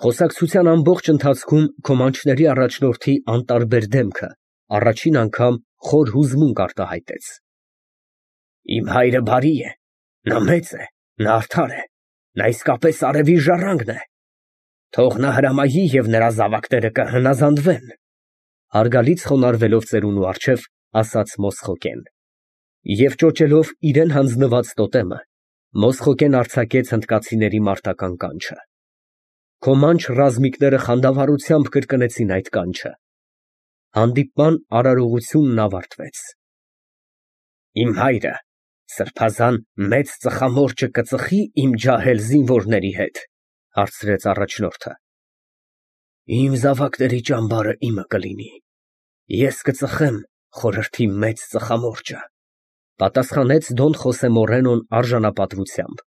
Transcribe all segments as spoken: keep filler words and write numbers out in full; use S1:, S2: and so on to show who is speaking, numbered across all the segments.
S1: Խոսակցության ամբողջ ընթացքում քոմանչների առաջնորդի անտարբեր դեմքը առաջին անգամ խոր հուզմունք արտահայտեց։ Իմ հայրը բարի է, նա մեծ է, նա արդար է, նա իսկապես արևի ժառանգն է, թող նա հրամայի և նրա զավակները կհնազանդվեն, հարգալից խոնարհվելով ծերունու առջև, ասաց Մոսխոկեն, և ճոճելով իրան հանձնված տոտեմը, Մոսխոկեն արձակեց հնդկացիների մարտական կանչը։ Քոմանչ ռազմիկները խանդավառությամբ կրկնեցին այդ կանչը։ Հանդիպման արարողությունն ավարտվեց։ Իմ հայրը սրբազան մեծ ծխամորճը կծխի իմ ջահել զինվորների հետ, հարցրեց առաջնորդը։ Իմ զավակների ճամբարը իմը կլինի, ես կծխեմ խորհրդի մեծ ծխամորճը, պատասխանեց Դոն Խոսե Մորենոն արժանապատվությամբ։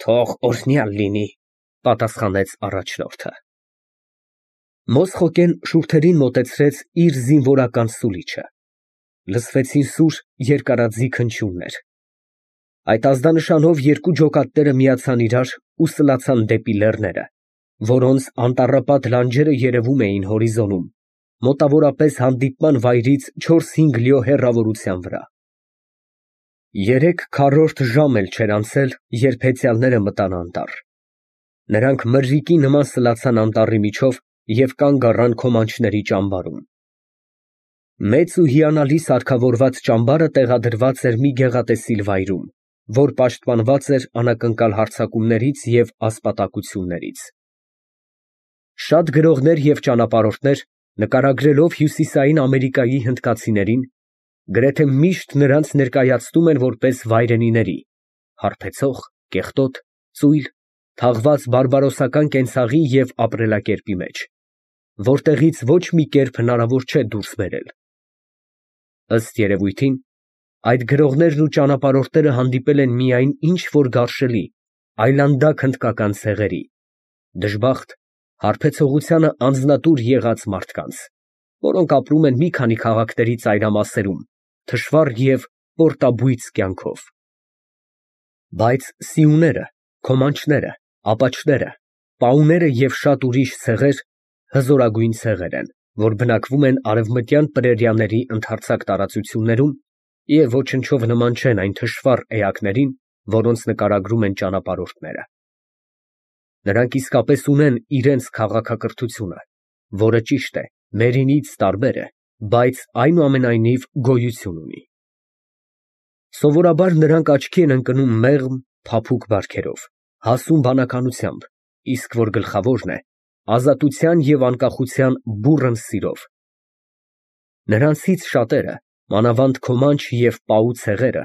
S1: Թող օրհնյալ լինի, պատասխանեց առաջնորդը։ Մոսխոկեն շուրթերին մոտեցրեց իր զինվորական սուլիչը։ Լսվեցին սուր երկարաձիգ հնչյուններ։ Այդ ազդանշանով երկու ջոկատները միացան իրար ու սլացան դեպի լեռները, որոնց անտառապատ լանջերը երևում էին հորիզոնում, մոտավորապես հանդիպման վայրից չորս֊հինգ լյո հեռավորության վրա։ Երեք քառորդ ժամ էլ չէր անցել, երբ հեծյալները մտան անտառ։ Նրանք մրրիկի նման սլացան անտառի միջով և կանգ առան քոմանչների ճամբարում։ Մեծ ու հիանալի սարքավորված ճամբարը տեղադրված էր մի գեղատեսիլ վայրում, որ պաշտպանված էր անակնկալ հարձակումներից և ասպատակություններից։ Շատ գրողներ և ճանապարհորդներ, նկարագրելով Հյուսիսային Ամերիկայի հնդկացիներին, գրեթե միշտ նրանց ներկայացնում են որպես վայրենիների՝ հարբեցող, կեղտոտ, ծույլ, թաղված բարբարոսական կենցաղի և ապրելակերպի մեջ, որտեղից ոչ մի կերպ հնարավոր չէ դուրս բերել։ Ըստ երևույթին, այդ գրողներն ու ճանապարհորդները հանդիպել են միայն ինչ֊որ գարշելի, այլանդակ հնդկական ցեղերի, դժբախտ, հարբեցողությանը անձնատուր եղած մարդկանց, որոնք ապրում են մի քանի քաղաքների ծայրամասերում, թշվառ և պորտաբույծ կյանքով։ Բայց սիուները, քոմանչները, ապաչները, պաուները և շատ ուրիշ ցեղեր հզորագույն ցեղեր են, որ բնակվում են արևմտյան պրերիաների ընդարձակ տարածություններում և ոչնչով նման չեն այն թշվառ էակներին, որոնց նկարագրում են ճանապարհորդները։ Նրանք իսկապես ունեն իրենց քաղաքակրթությունը, որը, ճիշտ է, մերինից տարբեր է, բայց այնուամենայնիվ գոյություն ունի։ Սովորաբար նրանք աչքի են ընկնում մեղմ, փափուկ բարքերով, հասուն բանականությամբ, իսկ որ գլխավորն է, ազատության և անկախության բուռն սիրով։ Նրանցից շատերը, մանավանդ քոմանչ և պաու ցեղերը,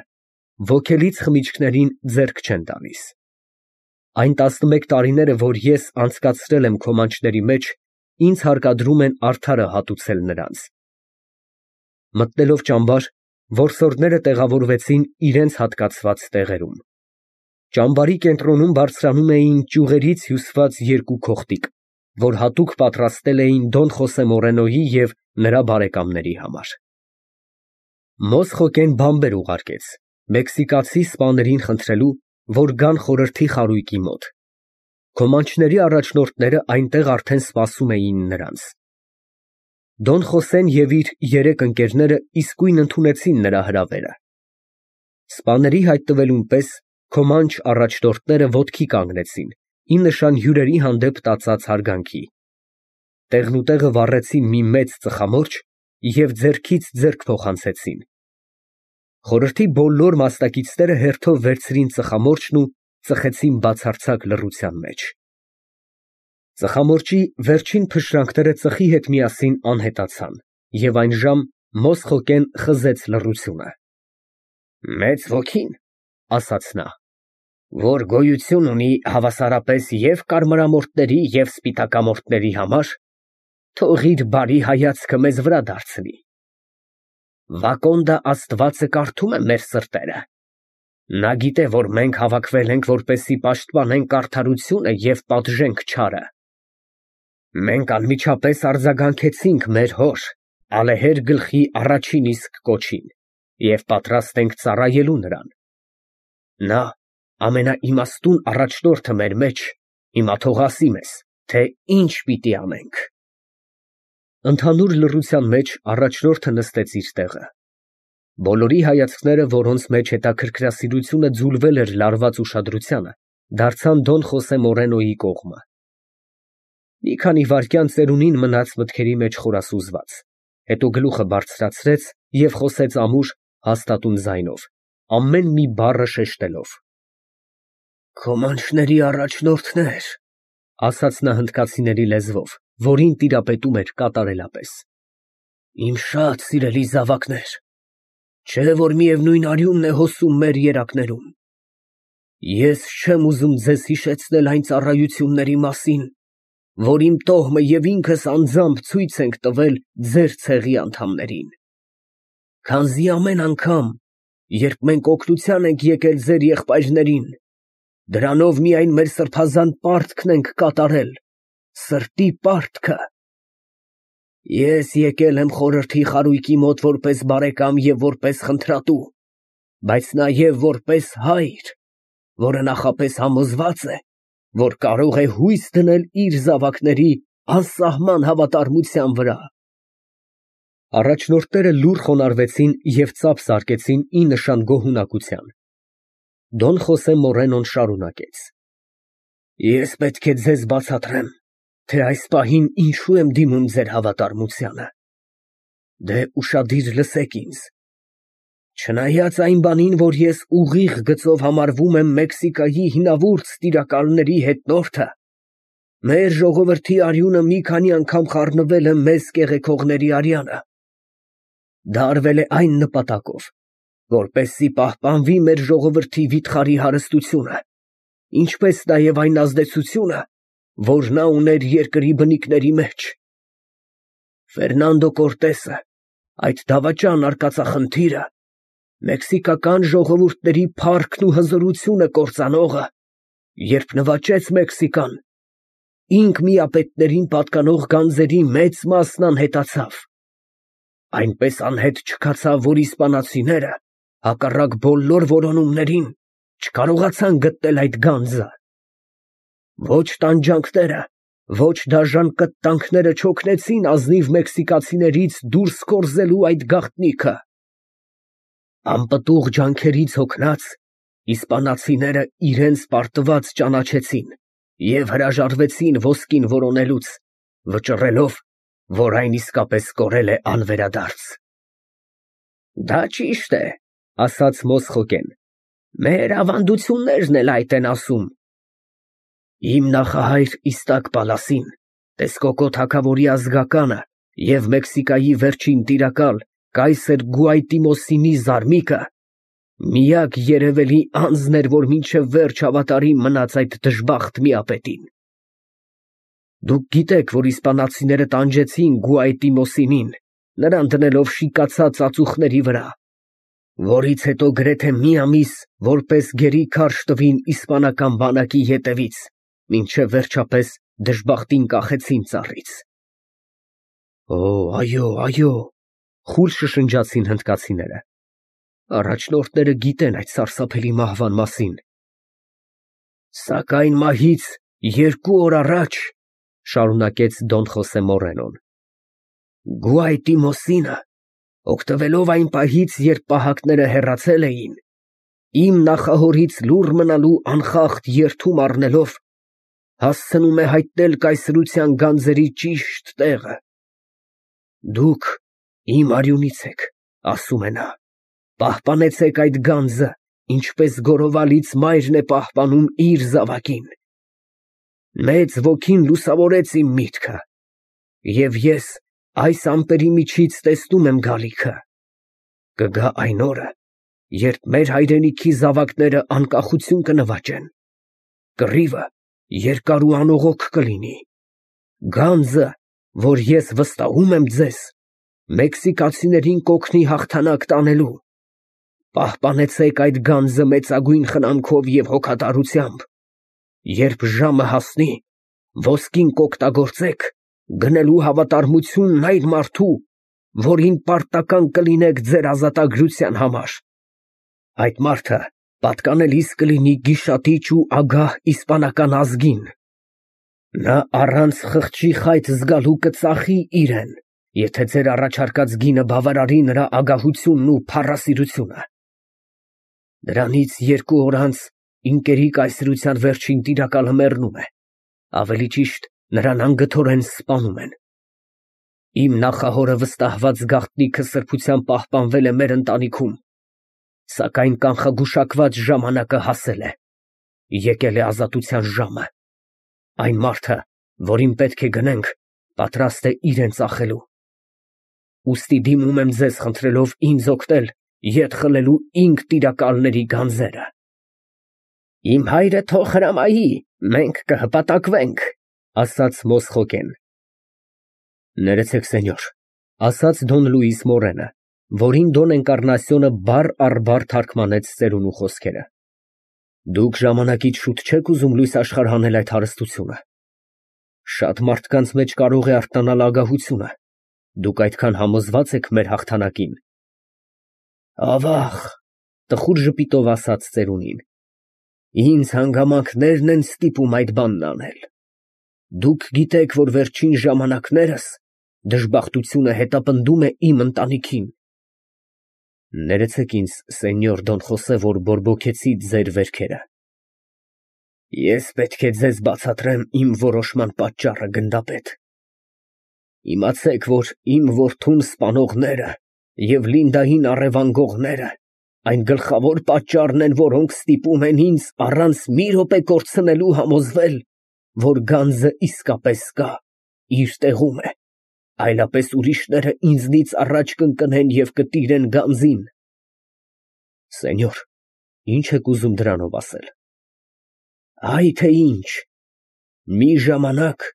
S1: ոգելից խմիչքներին ձեռք չեն տալիս։ Այն տասնմեկ տարիները, որ ես անցկացրել եմ քոմանչների մեջ, ինձ հարկադրում են արդարը հատուցել նրանց։ Մտնելով ճամբար, որսորդները տեղավորվեցին իրենց հատկացված տեղերում։ Ճամբարի կենտրոնում բարձրանում էին ճյուղերից հյուսված երկու քոխտիկ, որ հատուկ պատրաստել էին Դոն Խոսե Մորենոյի և նրա բարեկամների համար։ Մոսխոկեն բանբեր ուղարկեց մեքսիկացի սպաներին խնդրելու, որ գան խորհրդի խարույկի մոտ։ Քոմանչների առաջնորդները այնտեղ արդեն սպասում էին նրանց։ Դոն Խոսեն և իր երեք ընկերները իսկույն ընդունեցին նրա հրավերը։ Սպաների հայտնվելուն պես քոմանչ առաջնորդները ոտքի կանգնեցին, ի նշան հյուրերի հանդեպ տածած հարգանքի։ Տեղնուտեղը վառեցին մի մեծ ծխամորճ և ձեռքից ձեռք փոխանցեցին։ Խորհրդի բոլոր մասնակիցները հերթով վերցրին ծխամորճն ու ծխեցին բացարձակ լռության մեջ։ Ծխամորճի վերջին փշրանքները ծխի հետ միասին անհետացան, և այն ժամ Մոսխոկեն խզեց լռությունը։ Մեծ ոգին, ասաց նա, որ գոյություն ունի հավասարապես և կարմրամորթների, և սպիտակամորթների համար, թող իր բարի հայացքը մեզ վրա դարձնի։ Վակոնդը աստվածը կարդում է մեր սրտերը։ Նա գիտե, որ մենք հավաքվել ենք, որպեսզի պաշտպանենք արդարությունը և պատժենք չարը։ Մենք անմիջապես արձագանքեցինք մեր հոր ալեհեր գլխի առաջին իսկ կոչին և պատրաստ ենք ծառայելու նրան։ Նա ամենաիմաստուն առաջնորդը մեր մեջ, հիմա թող ասի մեզ, թե ինչ պիտի անենք։ Ընդհանուր լռության մեջ առաջնորդը նստեց իր տեղը։ Բոլորի հայացքները, որոնց մեջ հետաքրքրասիրությունը ձուլվել էր լարված ուշադրությանը, դարձան Դոն Խոսե Մորենոյի կողմը։ Մի քանի վայրկյան ծերունին մնաց մտքերի մեջ խորասուզված, հետո գլուխը բարձրացրեց և խոսեց ամուր, հաստատուն ձայնով, ամեն մի բառը շեշտելով. «Քոմանչների առաջնորդներ», ֊ ասաց նա հնդկացիների լեզվով, որին տիրապետում էր կատարելապես, «իմ շատ սիրելի զավակներ, չէ՞ որ միևնույն արյունն է հոսում մեր երակներում։ Ես չեմ ուզում ձեզ հիշեցնել այն ծառայությունների մասին, որ իմ տոհմը և ինքս անձամբ ցույց ենք տվել ձեր ցեղի անդամներին։ Քանզի ամեն անգամ, երբ մենք օգնության ենք եկել ձեր եղբայրներին, դրանով միայն մեր սրբազան պարտքն ենք կատարել, սրտի պարտքը։ Ես եկել եմ խորհրդի խարույկի մոտ որպես բարեկամ և որպես խնդրատու, բայց նաև որպես հայր, որը նախապես համոզված է, որ կարող է հույս դնել իր զավակների անսահման հավատարմության վրա»։ Առաջնորդները լուռ խոնարհվեցին և ծափ զարկեցին ի նշան գոհունակության։ Դոն Խոսե Մորենոն շարունակեց. «Ես պետք է ձեզ բացատրեմ, թե այս պահին ինչու եմ դիմում ձեր հավատարմությանը։ Դե ուշադիր լսեք ինձ. չնայած այն բանին, որ ես ուղիղ գծով համարվում եմ Մեքսիկայի հինավուրց տիրակալների հետնորդը, մեր ժողովրդի արյունը մի քանի անգամ խառնվել է մեզ կեղեքողների արյանը։ Դա արվել է այն նպատակով, որպեսզի պահպանվի մեր ժողովրդի վիթխարի հարստությունը, ինչպես նաև այն ազդեցությունը, որ նա ուներ երկրի բնիկների մեջ։ Ֆերնանդո Կորտեսը, այդ դավաճան արկածախնդիրը, մեքսիկական ժողովուրդների փառքն ու հզորությունը կործանողը, երբ նվաճեց Մեքսիկան, ինքն պատկանող գանձերի մեծ մասն անհետացավ, այնպես անհետ չքացավ, որ իսպանացիները, հակառակ բոլոր որոնումներին, չկարողացան գտնել այդ գանձը։ Ոչ տանջանքները, ոչ դաժան կտտանքները չօգնեցին ազնիվ մեքսիկացիներից դուրս կորզելու այդ գաղտնիքը։ Անպտուղ ջանքերից հոգնած, իսպանացիները իրենց պարտված ճանաչեցին և հրաժարվեցին ոսկին որոնելուց, վճռելով, որ այն իսկապես կորել է անվերադարձ։ Դա ճիշտ է, ասաց Մոսխոկեն, մեր ավանդություններն էլ այդ են ասում։ Իմ նախահայր Իստակ Պալասին, Տեսկոկո թագավորի ազգականը և Մեքսիկայի վերջին տիրակալ կայսեր Գուայտիմոսինի զարմիկը, միակ երևելի անձն էր, որ մինչև վերջ հավատարիմ մնաց այդ դժբախտ միապետին։ Դուք գիտեք, որ իսպանացիները տանջեցին Գուայտիմոսինին, նրան դնելով շիկացած ածուխների վրա, որից հետո գրեթե մի ամիս որպես գերի քարշ տվին իսպանական բանակի ետևից, մինչև վերջապես դժբախտին կախեցին ծառից։ Օ, այո, այո, խուլ շշնջացին հնդկացիները։ Առաջնորդները գիտեն այդ սարսափելի մահվան մասին։ Սակայն մահից երկու օր առաջ, շարունակեց Դոն Խոսե Մորենոն, Գուայտիմոսինը, օգտվելով այն պահից, երբ պահակները հեռացել էին, իմ նախահորից լուռ մնալու անխախտ երդում առնելով, հասցնում է հայտնել կայսրության գանձերի ճիշտ տեղը։ Դուք իմ արյունից եք, ասում է նա, պահպանեցեք այդ գանձը, ինչպես գորովալից մայրն է պահպանում իր զավակին։ Մեծ ոգին լուսավորեց իմ միտքը, և ես այս ամպերի միջից տեսնում եմ գալիքը։ Կգա այն օրը, երբ մեր հայրենիքի զավակները անկախություն կնվաճեն, կռիվը երկար ու անողոք կլինի, գանձը, որ ես վստահում եմ ձեզ, մեքսիկացիներին կօգնի հաղթանակ տանելու։ Պահպանեցեք այդ գանձը մեծագույն խնամքով և հոգատարությամբ, երբ ժամը հասնի, ոսկին կօգտագործեք, գնելու հավատարմությունն այն մարդու, որին պարտական կլինեք ձեր ազատագրության համար։ Այդ մարդը պատկանելիս կլինի գիշատիչ ու ագահ իսպանական ազգին։ Նա առանց խղճի խայտ զգալու կծախի իրեն, եթե ձեր առաջարկած գինը բավարարի նրա ագահությունն ու փառասիրությունը։ Դրանից երկու օր անց ինկերի կայսրության վերջին տիրակալը մեռնում է, ավելի ճիշտ նրան անգթորեն սպանում են։ Իմ նախահորը վստահված գաղտնիքը սրբությամբ պահպանվել է մեր ընտանիքում, սակայն կանխագուշակված ժամանակը հասել է, եկել է ազատության ժամը։ Այն մարդը, որին պետք է գնենք, պատրաստ է իրեն ծախելու։ Ուստի դիմում եմ ձեզ խնդրելով ինձ օգնել ետ խլելու ինք տիրակալների գանձերը։ Իմ հայրը թող հրամայի, մենք կհպատակվենք, ասաց Մոսխոկեն։ Ներեցեք, սենյոր, ասաց Դոն Լուիս Մորենը, որին Դոն Էնկառնասիոնը բառ առ բառ թարգմանեց ծերունու խոսքերը։ Դուք ժամանակից շուտ չեք ուզում լույս աշխարհ հանել այդ հարստությունը։ Շատ մարդկանց մեջ կարող է արթնանալ ագահությունը։ Դուք այդքան համոզված եք մեր հաղթանակին։ Ավաղ, տխուր ժպիտով ասաց ծերունին, ինձ հանգամանքներն են ստիպում այդ բանն անել։ Դուք գիտեք, որ վերջին ժամանակներս դժբախտությունը հետապնդում է իմ ընտանիքին։ Ներեցեք ինձ, սենյոր Դոն Խոսե, որ բորբոքեցի ձեր վերքերը։ Ես պետք է ձեզ բացատրեմ իմ որոշման պատճառը, գնդապետ։ Իմացեք, որ իմ որդուն սպանողները և Լինդային առևանգողները այն գլխավոր պատճառն են, որոնք ստիպում են ինձ առանց մի րոպե կորցնելու համոզվել, որ գանձը իսկապես կա, իր տեղում է, այլապես ուրիշները ինձնից առաջ կընկնեն և կտիրեն գանձին։ Սենյոր, ինչ եք ուզում դրանով ասել։ Այ թե ինչ, մի ժամանակ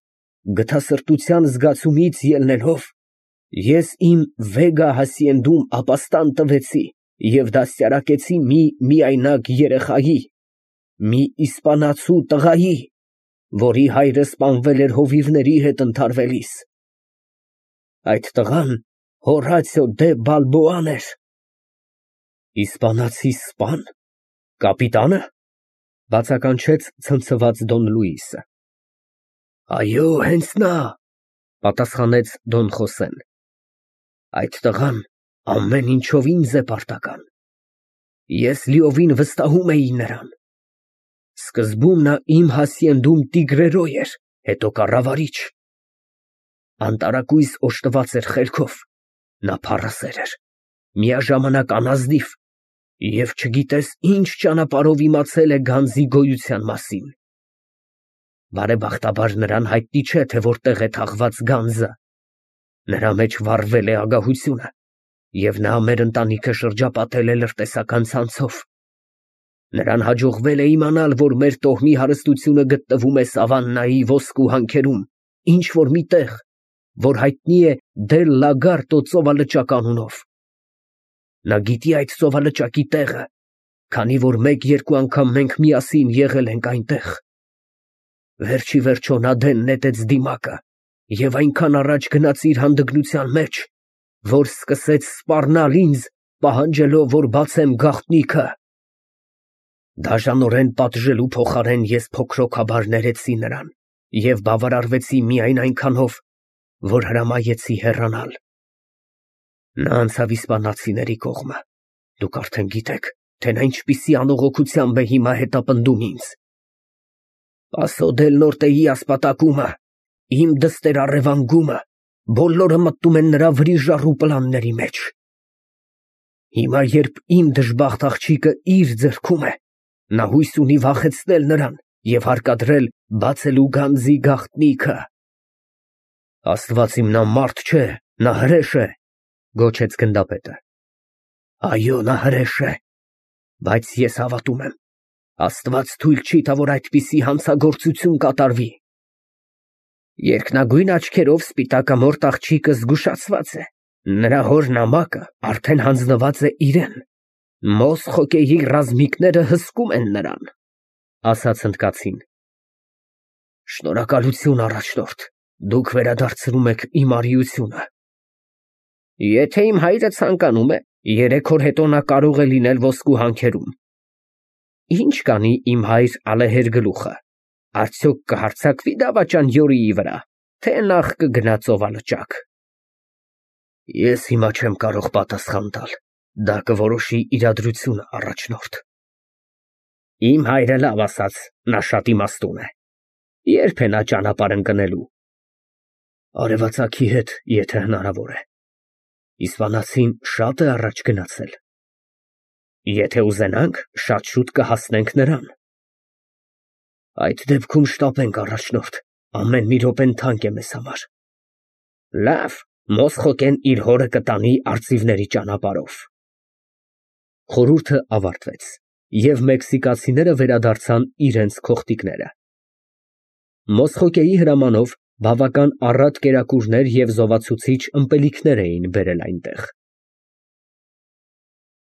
S1: գթասրտության զգացումից ելնելով, ես իմ Վեգա հասիենդում ապաստան տվեցի և դաստիարակեցի մի միայնակ երեխայի, մի իսպանացու տղայի, որի հայրը սպանվել էր հովիվների հետ ընդհարվելիս։ Այդ տղան Հորացիո դե Բալբոան էր։ Իսպանացի սպա՞ն, կապիտա՞նը, բացականչեց ցնցված Դոն Լուիսը։ Այո, հենց նա, պատասխանեց Դոն Խոսեն։ Այդ տղան ամեն ինչով ինձ է պարտական։ Ես լիովին վստահում էի նրան։ Սկզբում նա իմ հասիենդում տիգրերոյ էր, հետո կառավարիչ։ Անտարակույս օժտված էր խելքով, նա փառասեր էր, միաժամանակ անազնիվ և չգիտես ինչ ճանապարհով իմացել է գանձի գոյության մասին։ Բարեբախտաբար նրան հայտնի չէ, թե որտեղ է թաղված գանձը։ Նրա մեջ վառվել է ագահությունը, և նա մեր ընտանիքը շրջապատել է լրտեսական ցանցով։ Նրան հաջողվել է իմանալ, որ մեր տոհմի հարստությունը գտնվում է Սավաննայի ոսկու հանքերում, ինչ֊որ մի տեղ, որ հայտնի է Դել Լագարտո ծովալճակ անունով։ Նա գիտի այդ ծովալճակի տեղը, քանի որ մեկ֊երկու անգամ մենք միասին եղել ենք այնտեղ։ Վերջիվերջո նա դեն նետեց դիմակը և այնքան առաջ գնաց իր հանդգնության մեջ, որ սկսեց սպառնալ ինձ, պահանջելով, որ բացեմ գաղտնիքը։ Դաժանորեն պատժելու փոխարեն ես փոքրոքաբար ներեցի նրան և բավարարվեցի միայն այնքանով, որ հրամայեցի հեռանալ։ Նա անցավ իսպանացիների կողմը։ Դուք արդեն գիտեք, թե նա ինչպիսի անողոքությամբ է հիմա հետապնդում ինձ։ Պասո դել Նորտեի ասպատակումը, իմ դստեր առևանգումը, բոլորը մտնում են նրա վրիժառու պլանների մեջ։ Հիմա, երբ իմ դժբախտ աղջիկը իր ձեռքում է, նա հույս ունի վախեցնել նրան և հարկադրել բացելու գանձի գաղտնիքը։ Աստված իմ, նա մարդ չէ, նա հրեշ է, գոչեց գնդապետը։ Այո, նա հրեշ է, բայց ես հավատում եմ, Աստված թույլ չի տա, որ այդպիսի հանցագործություն կատարվի։ Երկնագույն աչքերով սպիտակամորթ աղջիկը զգուշացված է, նրա հոր նամակը արդեն հանձնված է իրեն, Մոսխոկեի ռազմիկները հսկում են նրան, ասաց հնդկացին։ Շնորհակալություն, առաջնորդ, դուք վերադարձնում եք իմ արիությունը։ Եթե իմ հայրը ցանկանում է, երեք օր հետո նա կարող է լինել ոսկու հանքերում։ Ինչ կանի իմ հայր Ալեհեր գլուխը, Արդյոք կհարձակվի դավաճան Յորիի վրա, թե նախ կգնա ծովալճակ։ Ես հիմա չեմ կարող պատասխան տալ, դա կորոշի իրադրությունը, առաջնորդ։ Իմ հայրը լավ ասաց, նա շատ իմաստուն է։ Ե՞րբ է նա ճանապարհ ընկնելու։ Արևածագի հետ, եթե հնարավոր է։ Իսպանացին շատ է առաջ գնացել։ Եթե ուզենանք, շատ շուտ կհասնենք նրան։ Այդ դեպքում շտապենք, առաջնորդ, ամեն մի րոպեն թանկ է մեզ համար։ Լավ, Մոսխոկեն իր հորը կտանի արծիվների ճանապարհով։ Խորհուրդը ավարտվեց, և մեքսիկացիները վերադարձան իրենց քոխտիկները։ Մոսխոկեի հրամանով բավական առատ կերակուրներ և զովացուցիչ ըմպելիքներ էին բերել այնտեղ։